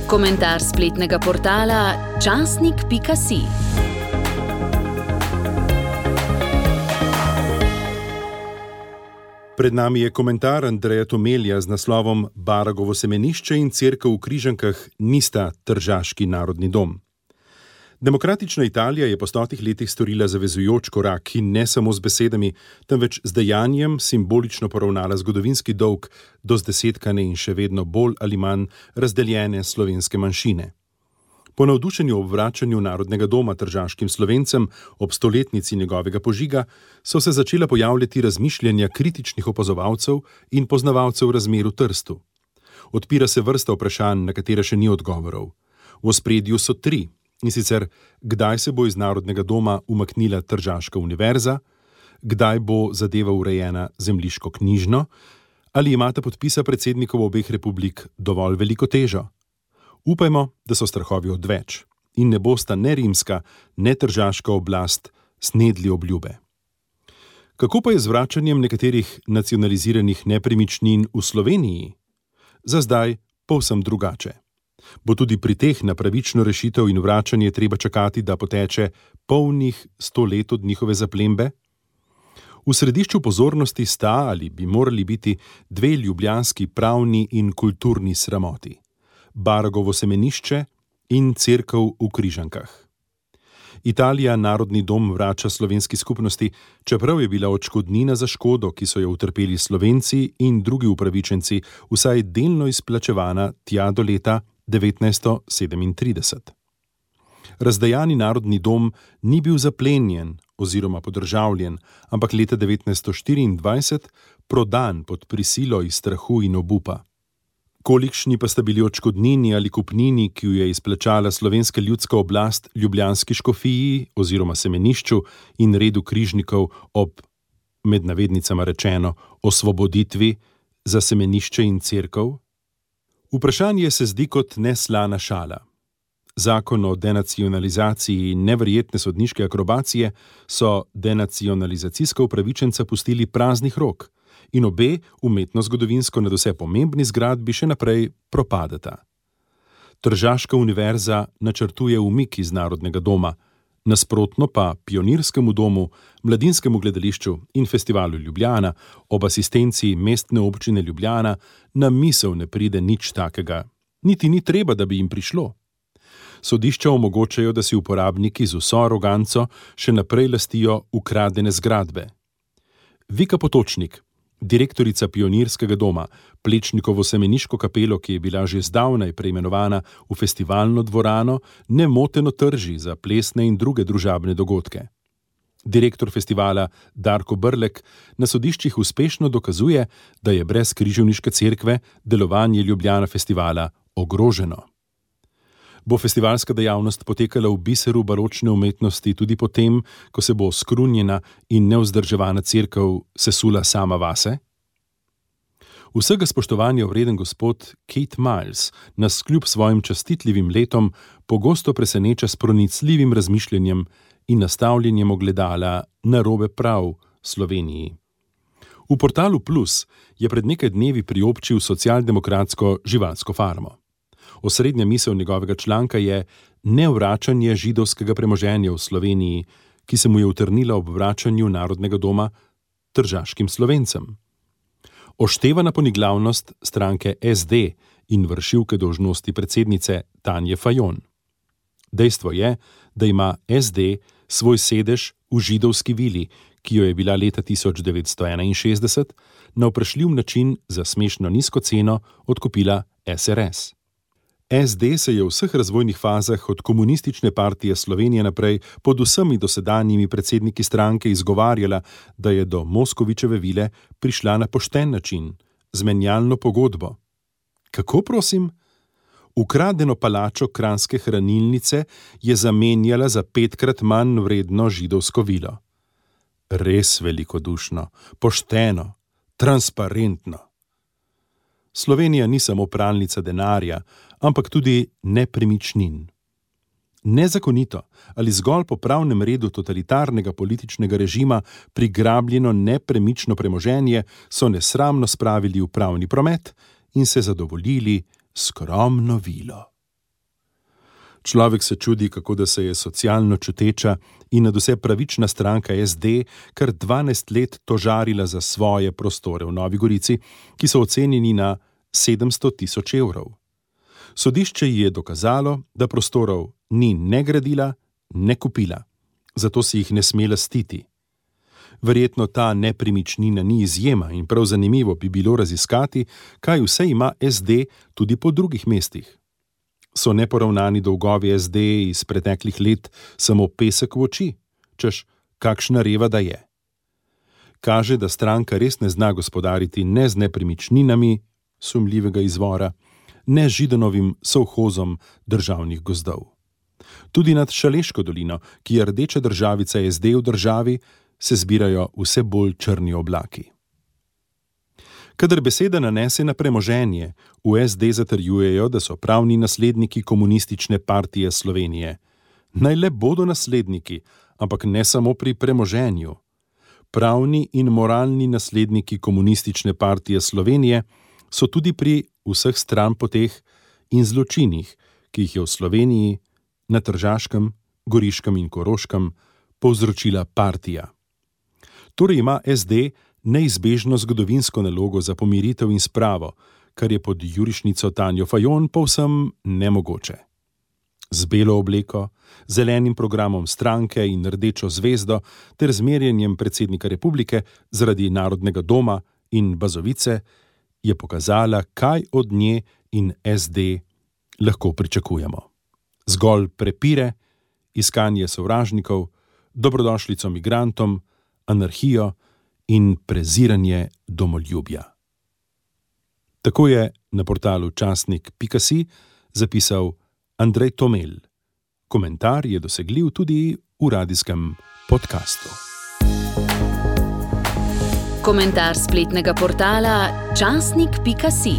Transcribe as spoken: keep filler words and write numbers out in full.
Komentar spletnega portala časnik pika si. Pred nami je komentar Andreja Tomelja z naslovom Baragovo semenišče in cerkev v Križankah nista tržaški narodni dom. Demokratična Italija je po stotih letih storila zavezujoč korak in ne samo z besedami, temveč z dejanjem simbolično poravnala zgodovinski dolg do zdesetkane in še vedno bolj ali manj razdeljene slovenske manjšine. Po navdušenju ob vračanju narodnega doma tržaškim Slovencem ob stoletnici njegovega požiga so se začela pojavljati razmišljanja kritičnih opazovalcev in poznavalcev razmer v Trstu. Odpira se vrsta vprašanj, na katere še ni odgovorov. V ospredju so tri, in sicer kdaj se bo iz narodnega doma umaknila tržaška univerza, kdaj bo zadeva urejena zemljiško-knjižno, ali imata podpisa predsednikov obeh republik dovolj veliko težo. Upajmo, da so strahovi odveč in ne bosta ne rimska, ne tržaška oblast snedli obljube. Kako pa je z vračanjem nekaterih nacionaliziranih nepremičnin v Sloveniji? Za zdaj povsem drugače. Bo tudi pri teh na pravično rešitev in vračanje treba čakati, da poteče polnih sto let od njihove zaplembe? V središču pozornosti sta ali bi morali biti dve ljubljanski pravni in kulturni sramoti. Baragovo semenišče in cerkev v Križankah. Italija narodni dom vrača slovenski skupnosti, čeprav je bila odškodnina za škodo, ki so jo utrpeli Slovenci in drugi upravičenci, vsaj delno izplačevana tja do leta devetnajststo sedemintrideset. Razdejani narodni dom ni bil zaplenjen oziroma podržavljen, ampak leta devetnajststo štiriindvajset prodan pod prisilo iz strahu in obupa. Kolikšni pa sta bili odškodnini ali kupnini, ki jo je izplačala slovenska ljudska oblast ljubljanski škofiji oziroma semenišču in redu križnikov ob, med navednicama rečeno, osvoboditvi za semenišče in cerkev? Vprašanje se zdi kot neslana šala. Zakon o denacionalizaciji in neverjetne sodniške akrobacije so denacionalizacijska upravičenca pustili praznih rok in obe umetno-zgodovinsko nadvse pomembni zgradbi še naprej propadeta. Tržaška univerza načrtuje umik iz narodnega doma, nasprotno pa Pionirskemu domu, Mladinskemu gledališču in Festivalu Ljubljana ob asistenciji Mestne občine Ljubljana na misel ne pride nič takega. Niti ni treba, da bi jim prišlo. Sodišča omogočajo, da si uporabniki z vso aroganco še naprej lastijo ukradene zgradbe. Vika Potočnik, direktorica Pionirskega doma, Plečnikovo semeniško kapelo, ki je bila že zdavnaj preimenovana v festivalno dvorano, nemoteno trži za plesne in druge družabne dogodke. Direktor festivala Darko Brlek na sodiščih uspešno dokazuje, da je brez križevniške cerkve delovanje Ljubljana festivala ogroženo. Bo festivalska dejavnost potekala v biseru baročne umetnosti tudi potem, ko se bo skrunjena in nevzdrževana cerkev sesula sama vase? Vsega spoštovanja vreden gospod Kate Miles nas kljub svojim častitljivim letom pogosto preseneča s pronicljivim razmišljanjem in nastavljanjem ogledala narobe prav Sloveniji. V portalu Plus je pred nekaj dnevi priobčil socialdemokratsko živalsko farmo. Osrednja misel njegovega članka je nevračanje židovskega premoženja v Sloveniji, ki se mu je utrnila ob vračanju narodnega doma tržaškim Slovencem. Oštevana poniglavnost stranke es de in vršilke dolžnosti predsednice Tanje Fajon. Dejstvo je, da ima es de svoj sedež v židovski vili, ki jo je bila leta tisoč devetsto enainšestdeset na vprašljiv način za smešno nizko ceno odkupila es er es. es de se je v vseh razvojnih fazah od Komunistične partije Slovenije naprej pod vsemi dosedanjimi predsedniki stranke izgovarjala, da je do Moskovičeve vile prišla na pošten način, z menjalno pogodbo. Kako, prosim? Ukradeno palačo kranjske hranilnice je zamenjala za petkrat manj vredno židovsko vilo. Res velikodušno, pošteno, transparentno. Slovenija ni samo pralnica denarja, ampak tudi nepremičnin. Nezakonito ali zgolj po pravnem redu totalitarnega političnega režima prigrabljeno nepremično premoženje so nesramno spravili v pravni promet in se zadovoljili skromno vilo. Človek se čudi, kako da se je socialno čuteča in nadvse pravična stranka S D kar dvanajst let tožarila za svoje prostore v Novi Gorici, ki so ocenjeni na sedemsto tisoč evrov. Sodišče ji je dokazalo, da prostorov ni ne gradila, ne kupila, zato si jih ne sme lastiti. Verjetno ta nepremičnina ni izjema in prav zanimivo bi bilo raziskati, kaj vse ima S D tudi po drugih mestih. So neporavnani dolgovi S D iz preteklih let samo pesek v oči, češ kakšna reva da je. Kaže, da stranka res ne zna gospodariti ne z nepremičninami sumljivega izvora, ne z Židanovim sovhozom državnih gozdov. Tudi nad Šaleško dolino, ki je rdeča državica S D v državi, se zbirajo vse bolj črni oblaki. Kadar beseda nanese na premoženje, v S D zatrjujejo, da so pravni nasledniki Komunistične partije Slovenije. Naj le bodo nasledniki, ampak ne samo pri premoženju. Pravni in moralni nasledniki Komunistične partije Slovenije so tudi pri vseh stranpoteh in zločinih, ki jih je v Sloveniji, na Tržaškem, Goriškem in Koroškem povzročila partija. Torej ima S D neizbežno zgodovinsko nalogo za pomiritev in spravo, kar je pod jurišnico Tanjo Fajon povsem nemogoče. Z belo obleko, zelenim programom stranke in rdečo zvezdo ter zmerjenjem predsednika republike zaradi Narodnega doma in Bazovice je pokazala, kaj od nje in S D lahko pričakujemo. Zgolj prepire, iskanje sovražnikov, dobrodošlico migrantom, anarhijo in preziranje domoljubja. Tako je na portalu časnik pika si zapisal Andrej Tomelj. Komentar je dosegljiv tudi v radijskem podkastu. Komentar spletnega portala časnik pika si.